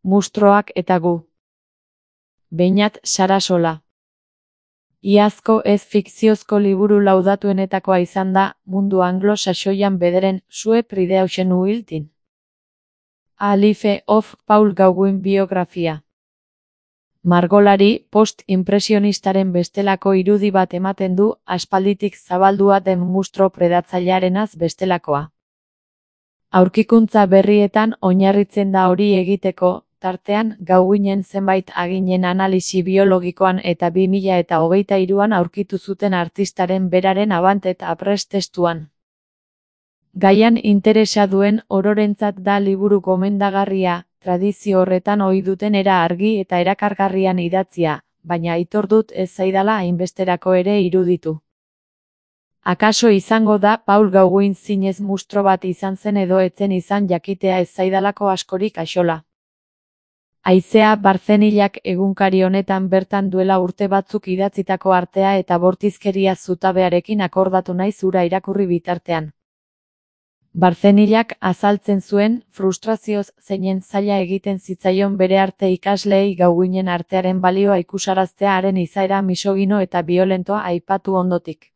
Mustroak eta gu. Beñat Sarasola. Iazko ez fikziozko liburu laudatuenetakoa izan da, mundu anglo-saxoian bederen, Sue Prideuxen Uiltin. A Life of Paul Gauguin biografia. Margolari post-impresionistaren bestelako irudi bat ematen du, aspalditik zabaldua den mustro predatzailearenaz bestelakoa. Aurkikuntza berrietan oinarritzen da hori egiteko, tartean Gauguinen zenbait aginen analisi biologikoan eta 2023an aurkitu zuten artistaren beraren Avant et Après testuan. Gaian interesa duen ororentzat da liburu gomendagarria, tradizio horretan ohi duten era argi eta erakargarrian idatzia, baina aitor dut ez zaidala hainbesterako ere iruditu. Akaso izango da Paul Gauguin zinez mustro bat izan zen edo etzen izan jakitea ez zaidalako askorik axola. Haizea Barzenillak egunkari honetan bertan duela urte batzuk idatzitako artea eta bortizkeria zutabearekin akordatu naiz hura irakurri bitartean. Barzenillak azaltzen zuen, frustrazioz zeinen zaila egiten zitzaion bere arte ikasleei Gauguinen artearen balioa ikusaraztea haren izaera misogino eta biolentoa aipatu ondotik.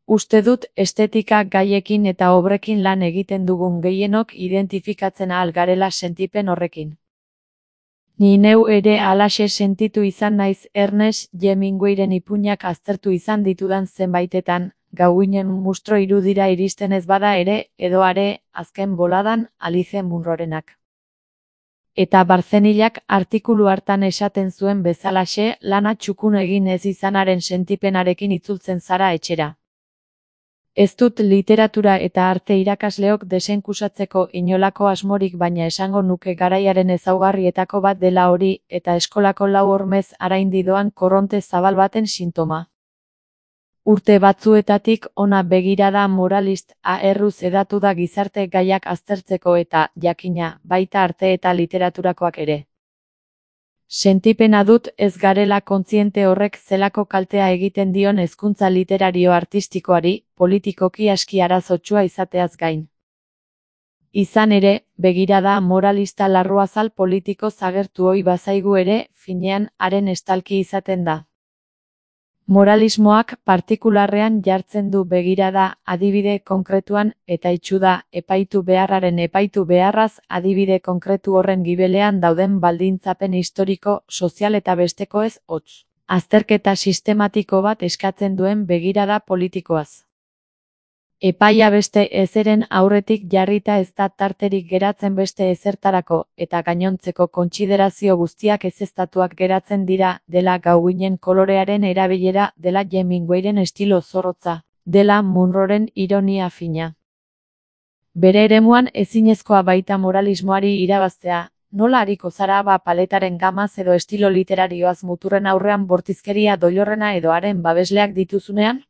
Uste dut estetika gaiekin eta obrekin lan egiten dugun gehienok identifikatzen ahal garela sentipen horrekin. Ni neu ere halaxe sentitu izan naiz Ernest Hemingwayren ipuinak aztertu izan ditudan zenbaitetan, Gauguinen mustro irudira iristen ez bada ere, edo are, azken boladan, Alice Munrorenak. Eta Barzenillak artikulu hartan esaten zuen bezalaxe, lana txukun egin ez izanaren sentipenarekin itzultzen zara etxera. Ez dut literatura eta arte irakasleok desenkusatzeko inolako asmorik baina esango nuke garaiaren ezaugarrietako bat dela hori, eta eskolako lau hormez araindi doan korronte zabal baten sintoma. Urte batzuetatik ona begirada moralist erruz hedatu da gizarte gaiak aztertzeko eta, jakina, baita arte eta literaturakoak ere. Sentipena dut ez garela kontziente horrek zelako kaltea egiten dion hezkuntza literario artistikoari, politikoki aski arazotsua izateaz gain. Izan ere, begirada moralista larruazal politiko zagertu ohi bazaigu ere, finean haren estalki izaten da. Moralismoak partikularrean jartzen du begirada adibide konkretuan eta itxu da epaitu beharraren epaitu beharraz adibide konkretu horren gibelean dauden baldintzapen historiko, sozial eta bestekoez hotz. Azterketa sistematiko bat eskatzen duen begirada politikoaz. Epaia beste ezeren aurretik jarrita ez da tarterik geratzen beste ezertarako, eta gainontzeko kontsiderazio guztiak ezeztatuak geratzen dira, dela Gauguinen kolorearen erabilera, dela Hemingwayren estilo zorrotza, dela Munroren ironia fina. Bere eremuan ezinezkoa baita moralismoari irabaztea, nola ariko zara paletaren gamaz edo estilo literarioaz muturren aurrean bortizkeria doilorrena edo haren babesleak dituzunean?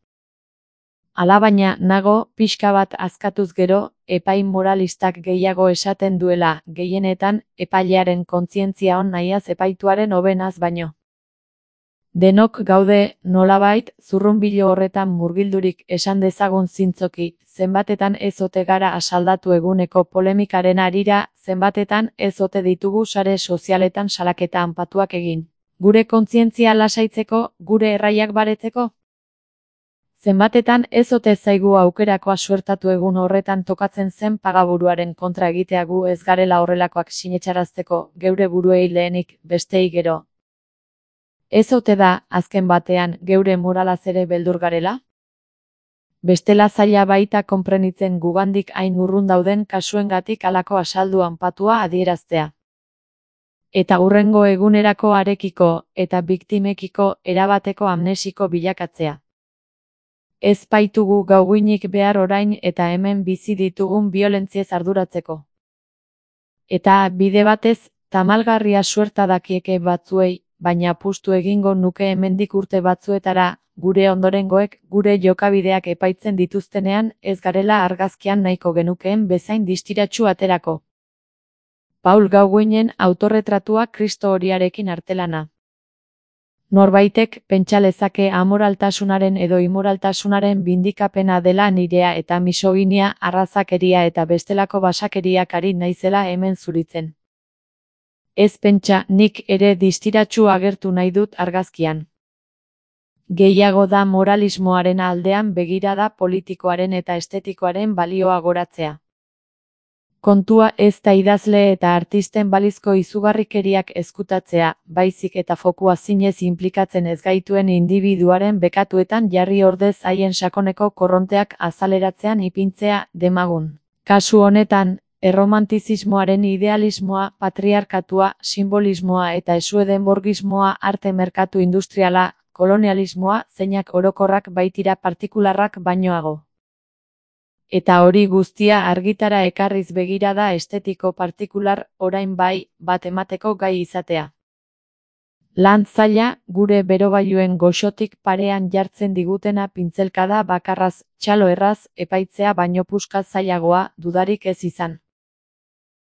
Alabaina, nago, pixka bat azkatuz gero, epai moralistak gehiago esaten duela, gehienetan, epailearen kontzientzia on nahiaz epaituaren hobenaz baino. Denok gaude, nolabait, zurrunbilo horretan murgildurik esan dezagun zintzoki, zenbatetan ez ote gara asaldatu eguneko polemikaren harira, zenbatetan ez ote ditugu sare sozialetan salaketa anpatuak egin. Gure kontzientzia lasaitzeko, gure erraiak baretzeko? Zenbatetan ez ote zaigu aukerakoa suertatu egun horretan tokatzen zen pagaburuaren kontra egitea gu ez garela horrelakoak sinetsarazteko, geure buruei lehenik, bestei gero. Ez ote da, azken batean, geure moralaz ere beldur garela? Bestela zaila baita konprenitzen gugandik hain urrun dauden kasuengatik halako asaldu anpatua adieraztea. Eta hurrengo egunerako harekiko, eta biktimekiko, erabateko amnesiko bilakatzea. Ez baitugu Gauguinik behar orain eta hemen bizi ditugun biolentziez arduratzeko. Eta bide batez, tamalgarria suerta dakieke batzuei, baina apustu egingo nuke hemendik urte batzuetara, gure ondorengoek, gure jokabideak epaitzen dituztenean, ez garela argazkian nahiko genukeen bezain distiratsu aterako. Paul Gauguinen autorretratua Kristo horiarekin artelana. Norbaitek pentsa lezake amoraltasunaren edo imoraltasunaren bindikapena dela nirea eta misoginia, arrazakeria eta bestelako basakeriak ari naizela hemen zuritzen. Ez pentsa, nik ere distiratsu agertu nahi dut argazkian. Gehiago da moralismoaren aldean begirada politikoaren eta estetikoaren balioa goratzea. Kontua ez da idazle eta artisten balizko izugarrikeriak ezkutatzea, baizik eta fokua zinez inplikatzen ez gaituen indibiduaren bekatuetan jarri ordez haien sakoneko korronteak azaleratzean ipintzea demagun. Kasu honetan, erromantizismoaren idealismoa, patriarkatua, simbolismoa eta esuedenborgismoa, arte merkatu industriala, kolonialismoa, zeinak orokorrak baitira partikularrak bainoago. Eta hori guztia argitara ekarriz begirada estetiko partikular, orain bai, bat emateko gai izatea. Lan zaila, gure berogailuen goxotik parean jartzen digutena pintzelkada bakarraz, txalo erraz, epaitzea baino puska zailagoa, dudarik ez izan.